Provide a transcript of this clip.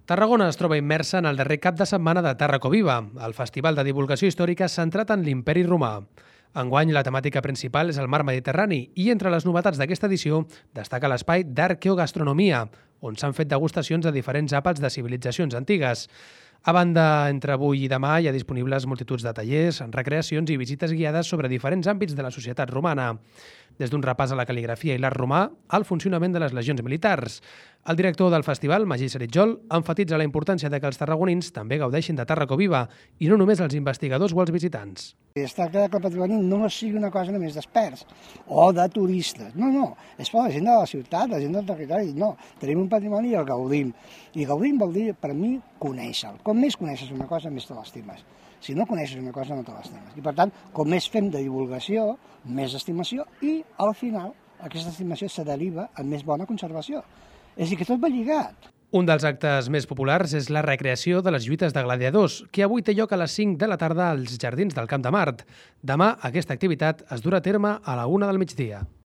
Tarragona es troba immersa en el darrer cap de setmana de Tàrraco Viva, el festival de divulgació històrica centrat en l'imperi romà. Enguany, la temàtica principal és el mar Mediterrani i entre les novetats d'aquesta edició destaca l'espai d'arqueogastronomia, on s'han fet degustacions de diferents àpats de civilitzacions antigues. A banda, entre avui i demà hi ha disponibles multituds de tallers, recreacions i visites guiades sobre diferents àmbits de la societat romana, des d'un repàs a la cal·ligrafia i l'art romà al funcionament de les legions militars. El director del festival, Magí Seritjol, emfatitza la importància de que els tarragonins també gaudeixin de Tàrraco Viva i no només els investigadors o els visitants. Es tracta que el patrimoni no sigui una cosa només d'experts o de turistes. No, és per la gent de la ciutat, la gent del territori. No, tenim un patrimoni i el gaudim. I gaudim vol dir, per mi, conèixer-lo. Com més coneixes una cosa, més te l'estimes. Si no coneixes una cosa, no te l'estimes. I per tant, com més fem de divulgació, més estimació i, al final, aquesta estimació se deriva en més bona conservació. És a dir, que tot va lligat. Un dels actes més populars és la recreació de les lluites de gladiadors, que avui té lloc a les 5 de la tarda als Jardins del Camp de Mart. Demà aquesta activitat es durà a terme a la 1 del migdia.